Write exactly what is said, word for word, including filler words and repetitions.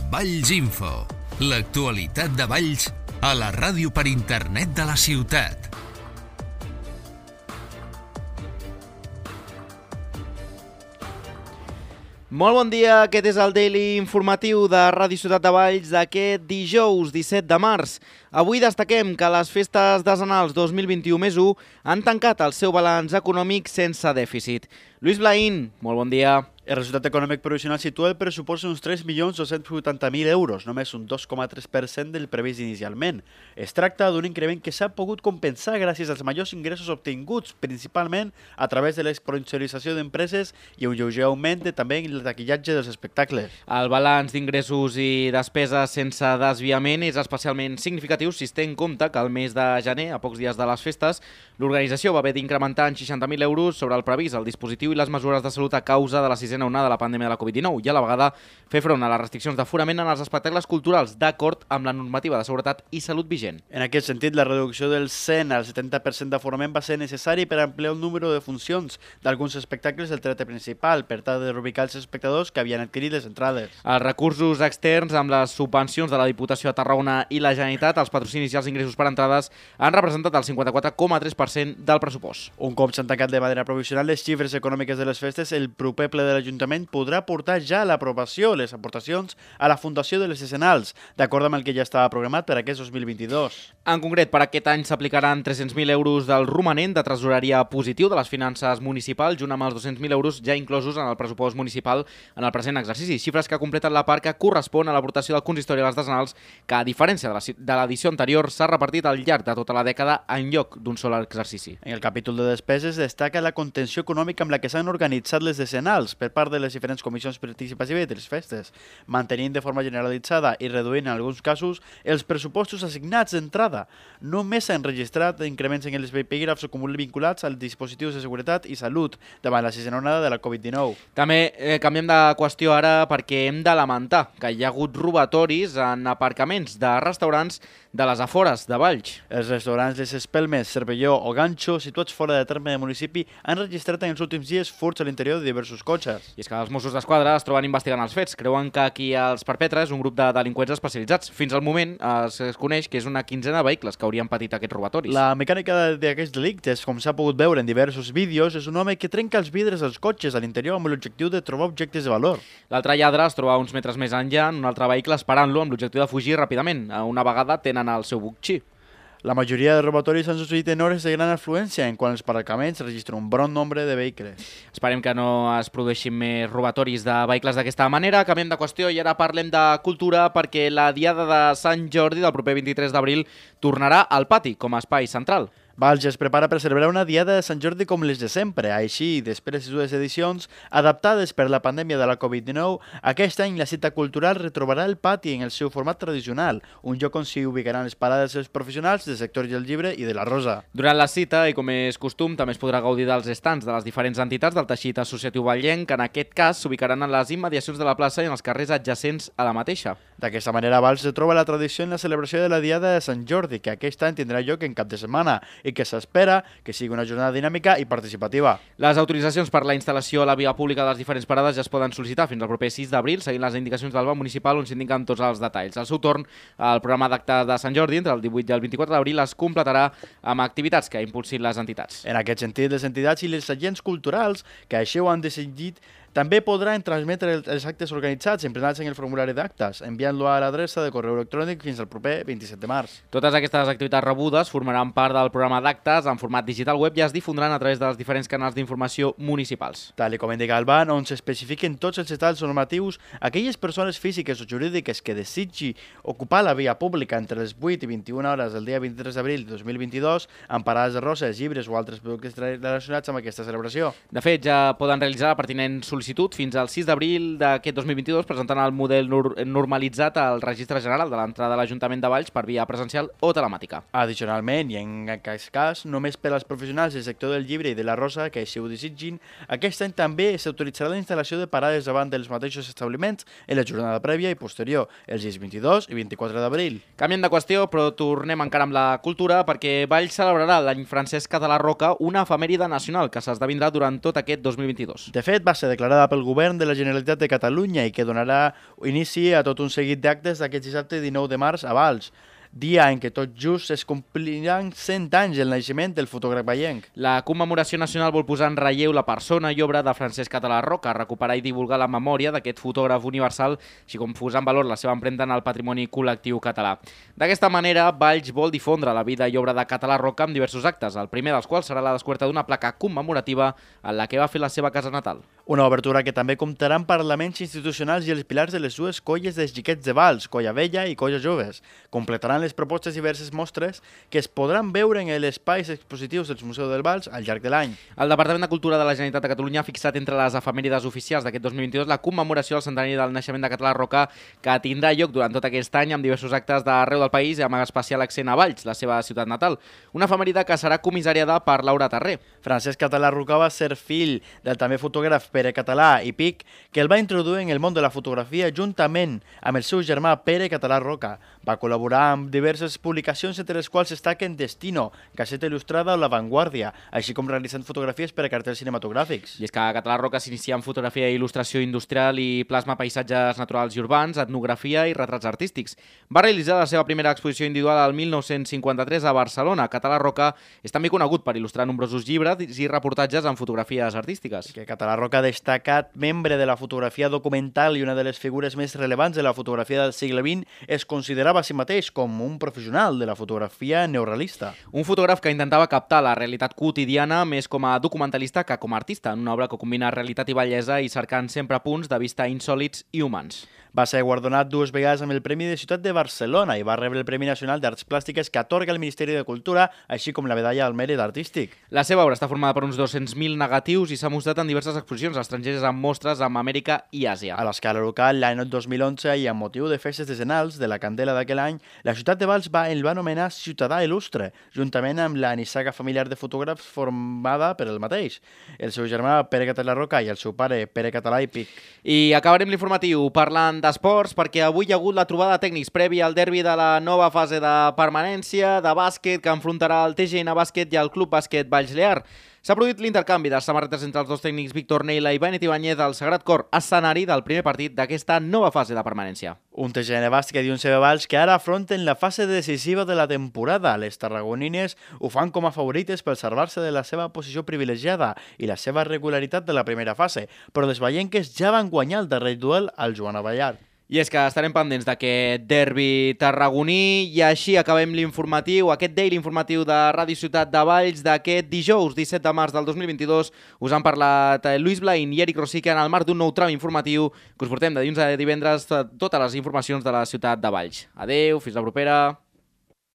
Valls Info, l'actualitat de Valls a la ràdio per internet de la ciutat. Molt bon dia, aquest és el Daily informatiu de Ràdio Ciutat de Valls d'aquest dijous disset de març. Avui destaquem que les festes decenals dos mil vint-i-u més u han tancat el seu balanç econòmic sense dèficit. Lluís Blaín, molt bon dia. El resultat econòmic provisional situa el pressupost en uns tres milions dos-cents vuitanta mil euros, només un dos coma tres per cent del previst inicialment. Es tracta d'un increment que s'ha pogut compensar gràcies als majors ingressos obtinguts, principalment a través de l'exponencialització d'empreses i un lleuger augment de, també en el taquillatge dels espectacles. El balanç d'ingressos i despeses sense desviament és especialment significatiu si es té en compte que al mes de gener, a pocs dies de les festes, l'organització va haver d'incrementar en seixanta mil euros sobre el previst, el dispositiu i les mesures de salut a causa de la sisena onada de la pandèmia de la covid dinou i a la vegada fer front a les restriccions d'aforament en els espectacles culturals d'acord amb la normativa de seguretat i salut vigent. En aquest sentit, la reducció del cent al setanta per cent d'aforament va ser necessari per ampliar el número de funcions d'alguns espectacles del teatre principal per tal de reubicar els espectadors que havien adquirit les entrades. Els recursos externs amb les subvencions de la Diputació de Tarragona i la Generalitat, els patrocinis i els ingressos per entrades han representat el cinquanta-quatre coma tres per cent del pressupost. Un cop s'han tancat de manera provisional les xifres econòmiques de les festes, el proper ple de l'Ajuntament podrà portar ja a l'aprovació les aportacions a la Fundació de les Escenals, d'acord amb el que ja estava programat per aquest dos mil vint-i-dos. En concret, per aquest any s'aplicaran tres-cents mil euros del romanent de tresoreria positiu de les finances municipals, junt amb els dos-cents mil euros ja inclosos en el pressupost municipal en el present exercici, xifres que completen la part que correspon a l'aportació del consistori a les decenals, que a diferència de l'edició anterior s'ha repartit al llarg de tota la dècada en lloc d'un sol exercici. En el capítol de despeses destaca la contenció econòmica amb la que s'han organitzat les decenals per part de les diferents comissions participatives de les festes, mantenint de forma generalitzada i reduint en alguns casos els pressupostos assignats d'entrada. Només s'han registrat increments en els epígrafs acumulats vinculats als dispositius de seguretat i salut davant la sisena onada de la covid dinou. També eh, canviem de qüestió ara perquè hem de lamentar que hi ha hagut robatoris en aparcaments de restaurants de les afores de Valls. Els restaurants Les Espelmes, Cervelló o Ganxo, situats fora de terme del municipi, han registrat en els últims dies furts a l'interior de diversos cotxes. I és que els Mossos d'Esquadra es troben investigant els fets. Creuen que qui els perpetra és un grup de delinqüents especialitzats. Fins al moment es coneix que és una quinzena de vehicles que haurien patit aquests robatoris. La mecànica d'aquests delictes, com s'ha pogut veure en diversos vídeos, és un home que trenca els vidres dels cotxes a l'interior amb l'objectiu de trobar objectes de valor. L'altre lladre es troba uns metres més enllà en un altre vehicle esperant-lo amb l'objectiu de fugir ràpidament. Una vegada tenen el seu botxí. La majoria de robatoris han succeït en hores de gran afluència, en quan els aparcaments registren un bon nombre de vehicles. Esperem que no es produeixin més robatoris de vehicles d'aquesta manera. Canviem de qüestió i ara parlem de cultura perquè la Diada de Sant Jordi del proper vint-i-tres d'abril tornarà al pati com a espai central. Valls es prepara per celebrar una Diada de Sant Jordi com les de sempre. Així, després de dues edicions adaptades per la pandèmia de la covid dinou, aquest any la cita cultural retrobarà el pati en el seu format tradicional, un lloc on s'hi ubicaran les parades dels professionals del sector del llibre i de la rosa. Durant la cita, i com és costum, també es podrà gaudir dels estants de les diferents entitats del teixit associatiu vallenc, que en aquest cas s'ubicaran en les immediacions de la plaça i en els carrers adjacents a la mateixa. D'aquesta manera, Valls retroba la tradició en la celebració de la Diada de Sant Jordi, que aquest any tindrà lloc en cap de setmana, i que s'espera que sigui una jornada dinàmica i participativa. Les autoritzacions per la instal·lació a la via pública de les diferents parades ja es poden sol·licitar fins al proper sis d'abril, seguint les indicacions del banc municipal on s'indiquen tots els detalls. Al seu torn, el programa d'actes de Sant Jordi entre el divuit i el vint-i-quatre d'abril es completarà amb activitats que impulsin les entitats. En aquest sentit, les entitats i els agents culturals que així ho han decidit també podran transmetre els actes organitzats emplenats en el formulari d'actes, enviant-lo a l'adreça de correu electrònic fins al proper vint-i-set de març. Totes aquestes activitats rebudes formaran part del programa d'actes en format digital web i es difondran a través dels diferents canals d'informació municipals. Tal com indica el B A N, on s'especifiquen tots els detalls normatius, aquelles persones físiques o jurídiques que desitgi ocupar la via pública entre les vuit i vint-i-una hores del dia vint-i-tres d'abril de dos mil vint-i-dos amb parades de roses, llibres o altres productes relacionats amb aquesta celebració. De fet, ja poden realitzar la pertinent sol·licitud fins al sis d'abril d'aquest dos mil vint-i-dos presentant el model normalitzat al Registre General de l'entrada de l'Ajuntament de Valls per via presencial o telemàtica. Addicionalment, i en aquest cas, només per als professionals del sector del llibre i de la rosa que així ho desitgin, aquest any també s'autoritzarà la instal·lació de parades davant dels mateixos establiments en la jornada prèvia i posterior, els dies vint-i-dos i vint-i-quatre d'abril. Canviem de qüestió, però tornem encara amb la cultura perquè Valls celebrarà l'any Francesc Català Roca, una efemèride nacional que s'esdevindrà durant tot aquest dos mil vint-i-dos. De fet, va ser declarat declarada pel govern de la Generalitat de Catalunya i que donarà inici a tot un seguit d'actes d'aquest dissabte dinou de març a Valls, dia en què tot just es compliran cent anys del naixement del fotògraf vallenc. La commemoració nacional vol posar en relleu la persona i obra de Francesc Català Roca, recuperar i divulgar la memòria d'aquest fotògraf universal, així com posar en valor la seva empremta en el patrimoni col·lectiu català. D'aquesta manera, Valls vol difondre la vida i obra de Català Roca amb diversos actes, el primer dels quals serà la descoberta d'una placa commemorativa en la que va fer la seva casa natal. Una obertura que també comptarà amb parlaments institucionals i els pilars de les dues colles de xiquets de Valls, Colla Vella i Colla Joves. Completaran les propostes diverses mostres que es podran veure en els espais expositius del Museu del Valls al llarg de l'any. El Departament de Cultura de la Generalitat de Catalunya ha fixat entre les efemèrides oficials d'aquest dos mil vint-i-dos la commemoració del centenari del naixement de Català Roca, que tindrà lloc durant tot aquest any amb diversos actes d'arreu del país i amb especial accent a Valls, la seva ciutat natal. Una efemèride que serà comissariada per Laura Tarré. Francesc Català Roca va ser fill del també fotògraf Pere Català i Pic, que el va introduir en el món de la fotografia juntament amb el seu germà Pere Català Roca. Va col·laborar amb diverses publicacions entre les quals destaquen Destino, Gaceta Il·lustrada o La Vanguardia, així com realitzant fotografies per a cartells cinematogràfics. I és que Català Roca s'inicia en fotografia i il·lustració industrial i plasma paisatges naturals i urbans, etnografia i retrats artístics. Va realitzar la seva primera exposició individual al mil nou-cents cinquanta-tres a Barcelona. Català Roca és també conegut per il·lustrar nombrosos llibres i reportatges en fotografies artístiques. Que Català Roca, destacat membre de la fotografia documental i una de les figures més rellevants de la fotografia del segle vint, es considerava a si mateix com un professional de la fotografia neorealista. Un fotògraf que intentava captar la realitat quotidiana més com a documentalista que com a artista, en una obra que combina realitat i bellesa i cercant sempre punts de vista insòlits i humans. Va ser guardonat dues vegades amb el Premi de Ciutat de Barcelona i va rebre el Premi Nacional d'Arts Plàstiques que atorga el Ministeri de Cultura, així com la Medalla al Mèrit Artístic. La seva obra està formada per uns dos-cents mil negatius i s'ha mostrat en diverses exposicions estrangeres amb mostres amb Amèrica i Àsia. A l'escala local, l'any dos mil onze, i amb motiu de festes decenals de la Candela d'aquell any, la ciutat de Valls va, el va anomenar Ciutadà Il·lustre, juntament amb la nissaga familiar de fotògrafs formada per el mateix, el seu germà Pere Català Roca i el seu pare Pere Català i Pic. I acabarem l'informatiu parlant d'esports, perquè avui hi ha hagut la trobada de tècnics prèvia al derbi de la nova fase de permanència de bàsquet que enfrontarà el T G N Bàsquet i el Club Bàsquet Valls Lear. S'ha produït l'intercanvi de samarretes entre els dos tècnics Víctor Neila i Benet Ibáñez al Sagrat Cor, escenari del primer partit d'aquesta nova fase de permanència. Un T G N Bàsquet i un C B Valls que ara afronten la fase decisiva de la temporada. Les tarragonines ho fan com a favorites per salvar-se de la seva posició privilegiada i la seva regularitat de la primera fase, però les vallenques ja van guanyar el darrer duel al Joan Abellar. I és que estarem pendents d'aquest derbi tarragoní i així acabem l'informatiu, aquest daily informatiu de Ràdio Ciutat de Valls d'aquest dijous disset de març del dos mil vint-i-dos. Us han parlat Lluís Blain i Eric Rosique en el marc d'un nou tram informatiu que us portem de dilluns a divendres totes les informacions de la ciutat de Valls. Adeu, fins la propera.